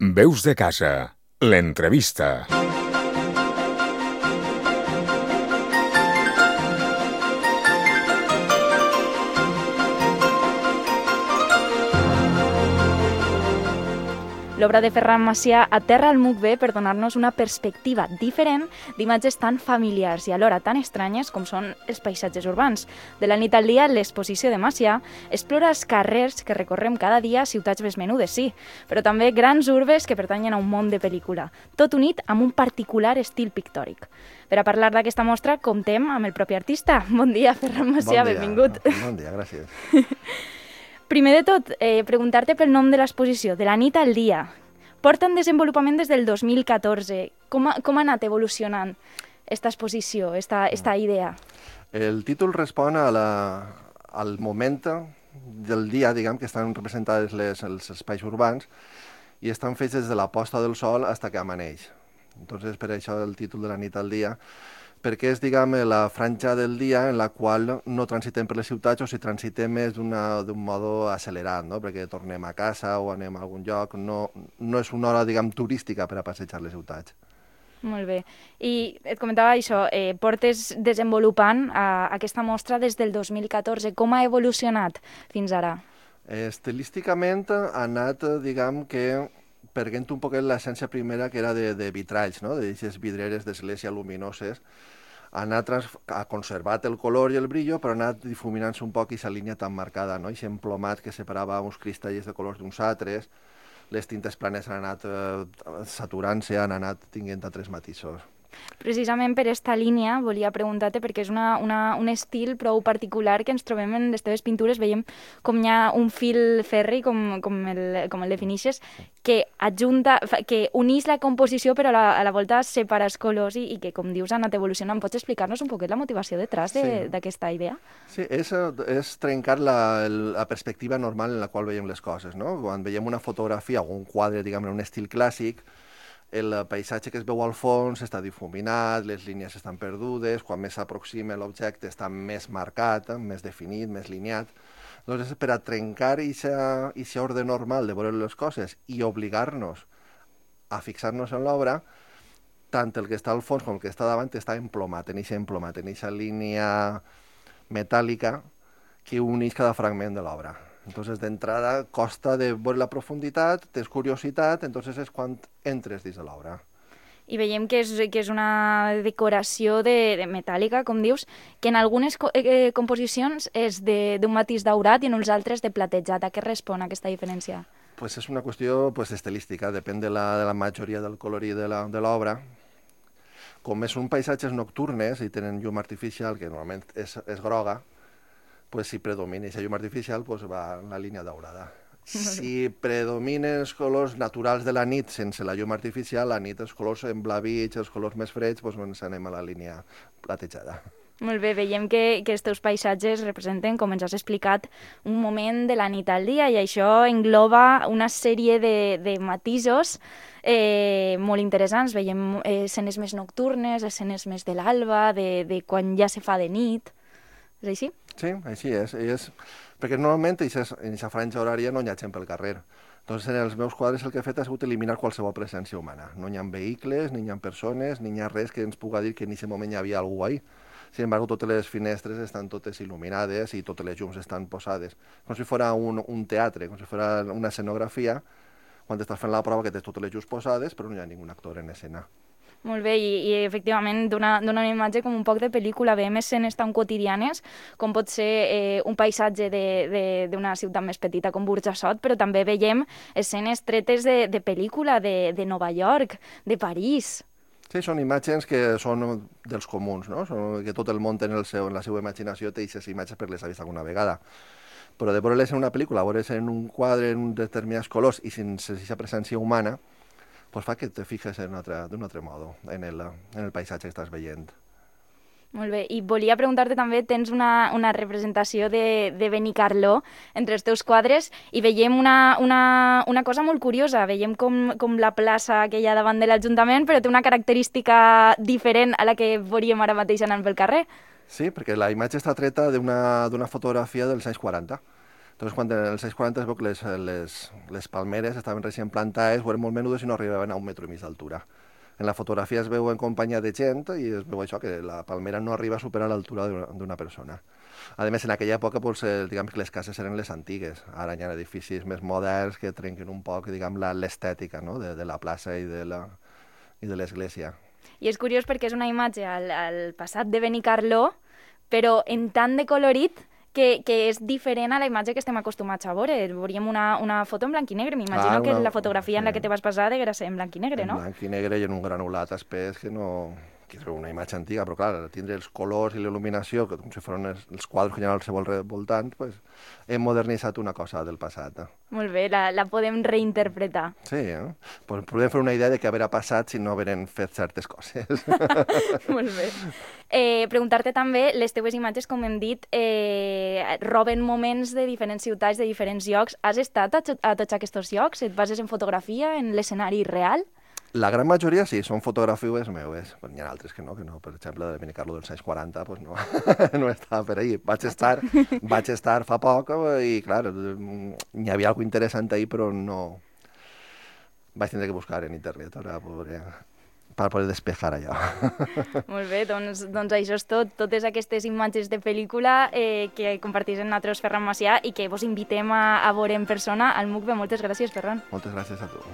Veus de casa, l'entrevista. L'obra de Ferran Macià aterra el MUCB per donar-nos una perspectiva diferent d'imatges tan familiars i alhora tan estranyes com són els paisatges urbans. De la nit al dia, l'exposició de Macià explora els carrers que recorrem cada dia, ciutats més menudes, sí, però també grans urbes que pertanyen a un món de pel·lícula, tot unit amb un particular estil pictòric. Per a parlar d'aquesta mostra, comptem amb el propi artista. Bon dia, Ferran Macià, benvingut. Bon dia, gràcies. Primer de tot, preguntar-te pel nom de l'exposició, De la nit al dia. Porta en desenvolupament des del 2014. Com ha anat evolucionant aquesta exposició, esta idea? El títol respon al moment del dia, diguem, que estan representades els espais urbans i estan fets des de la posta del sol fins que amaneix. Entonces, per això el títol de la nit al dia, perquè és, diguem, la franja del dia en la qual no transitem per les ciutats o si transitem és d'un modo accelerat, no? Perquè tornem a casa o anem a algun lloc, no és una hora, diguem, turística per a passejar les ciutats. Molt bé. I et comentava això, portes desenvolupant aquesta mostra des del 2014. Com ha evolucionat fins ara? Estilísticament ha anat, diguem, que perdent un poquet l'essència primera que era de vitralls, no? D'aquestes vidreres d'església luminoses. Ha conservat el color i el brillo, però ha anat difuminant-se un poc aquesta línia tan marcada, no? Aquest emplomat que separava uns cristalls de colors d'uns altres, les tintes planes han anat saturant-se, han anat tinguent altres matisos. Precisament per aquesta línia volia preguntar-te, perquè és un estil prou particular que ens trobem en les teves pintures. Veiem com hi ha un fil ferri, com el definixes, que uneix la composició però a la volta separa els colors i que, com dius, ha anat evolucionant. Pots explicar-nos un poquet la motivació detrás d'aquesta idea? Sí, és trencar la perspectiva normal en la qual veiem les coses, no? Quan veiem una fotografia o un quadre, diguem, en un estil clàssic, el paisatge que es veu al fons està difuminat, les línies estan perdudes, quan més s'aproxima l'objecte està més marcat, més definit, més lineat. Doncs per a trencar aquest ordre normal de veure les coses i obligar-nos a fixar-nos en l'obra, tant el que està al fons com el que està davant està emplomat, en aquesta línia metàl·lica que uneix cada fragment de l'obra. Entonces, d'entrada, costa de veure la profunditat, tens curiositat, entonces és quan entres dins de l'obra. I veiem que és una decoració de metàl·lica, com dius, que en algunes composicions és d'un matís daurat i en uns altres de platejat. A què respon aquesta diferència? Pues és una qüestió estilística, depèn de la majoria del colorit de l'obra. Com són paisatges nocturnes i tenen llum artificial, que normalment és groga, pues si predomina aquesta llum artificial, pues va en la línia daurada. Si predominen els colors naturals de la nit sense la llum artificial, la nit els colors emblavits, els colors més freds, pues ens anem a la línia platejada. Molt bé, veiem que els teus paisatges representen, com ens has explicat, un moment de la nit al dia i això engloba una sèrie de matisos molt interessants. Veiem escenes més nocturnes, escenes més de l'alba, de quan ja se fa de nit. És així? Sí, així és. Perquè normalment en aquesta franja horària no hi ha gent pel carrer. Doncs en els meus quadres el que he fet ha sigut eliminar qualsevol presència humana. No hi ha vehicles, ni hi ha persones, ni hi ha res que ens puga dir que en aquest moment hi havia algú ahí. Sin embargo, totes les finestres estan totes il·luminades i totes les llums estan posades. Com si fos un teatre, com si fos una escenografia, quan estàs fent la prova que tens totes les llums posades, però no hi ha ningú actor en escena. Molt bé, i efectivament dona una imatge com un poc de pel·lícula. Veiem escenes tan quotidianes com pot ser un paisatge d'una ciutat més petita com Burjassot, però també veiem escenes tretes de pel·lícula de Nova York, de París. Sí, són imatges que són dels comuns, no? Que tot el món té en la seva imaginació, té aquestes imatges per les ha vist alguna vegada. Però de veure-les en una pel·lícula, veure-les en un quadre en determinats colors i sense aquesta presència humana, pues fa que te fijes d'un altre modo en el paisatge que estàs veient. Molt bé, i volia preguntar-te també, tens una representació de Benicarló entre els teus quadres i veiem una cosa molt curiosa. Veiem com la plaça que hi ha davant de l'Ajuntament, però té una característica diferent a la que veuríem ara mateix anant pel carrer. Sí, perquè la imatge està treta d'una fotografia dels anys 40. Entonces, quan en els anys 40 es veu que les palmeres estaven recient plantades, eren molt menudes i no arribaven a 1,5 metres d'altura. En la fotografia es veu en companyia de gent i es veu això, que la palmera no arriba a superar l'altura d'una persona. A més, en aquella època, doncs, diguem que les cases eren les antigues. Ara hi ha edificis més moderns que trenquen un poc, diguem, l'estètica, no?, de la plaça i de l'església. I és curiós perquè és una imatge al passat de Benicarló, però en tant de colorit que és diferent a la imatge que estem acostumats a veure. Veuríem una foto en blanc i negre. M'imagino que la fotografia en la que te vas basar devia ser en blanc i negre, no? En blanc i negre i en un granulat espès que no... que és una imatge antiga, però clar, tindre els colors i l'il·luminació, que com si fossin els quadres que hi ha al seu voltant, pues, hem modernitzat una cosa del passat. Molt bé, la podem reinterpretar. Sí, pues podem fer una idea de què haurà passat si no haurem fet certes coses. Molt bé. Preguntar-te també, les teves imatges, com hem dit, roben moments de diferents ciutats, de diferents llocs. Has estat a tots aquests llocs? Et bases en fotografia, en l'escenari real? La gran majoria sí, són fotografies meues. N'hi ha altres que no. Per exemple, de Benicarló dels anys 40, pues no, no estava per ahí. Vaig estar fa poc i, clar, n'hi havia alguna interessant ahí, però no... Vaig tindre que buscar en internet per poder despejar allò. Molt bé, doncs això és tot. Totes aquestes imatges de pel·lícula que compartís amb nosaltres Ferran Macià i que vos invitem a veure en persona al MUCVE. Moltes gràcies, Ferran. Moltes gràcies a tu.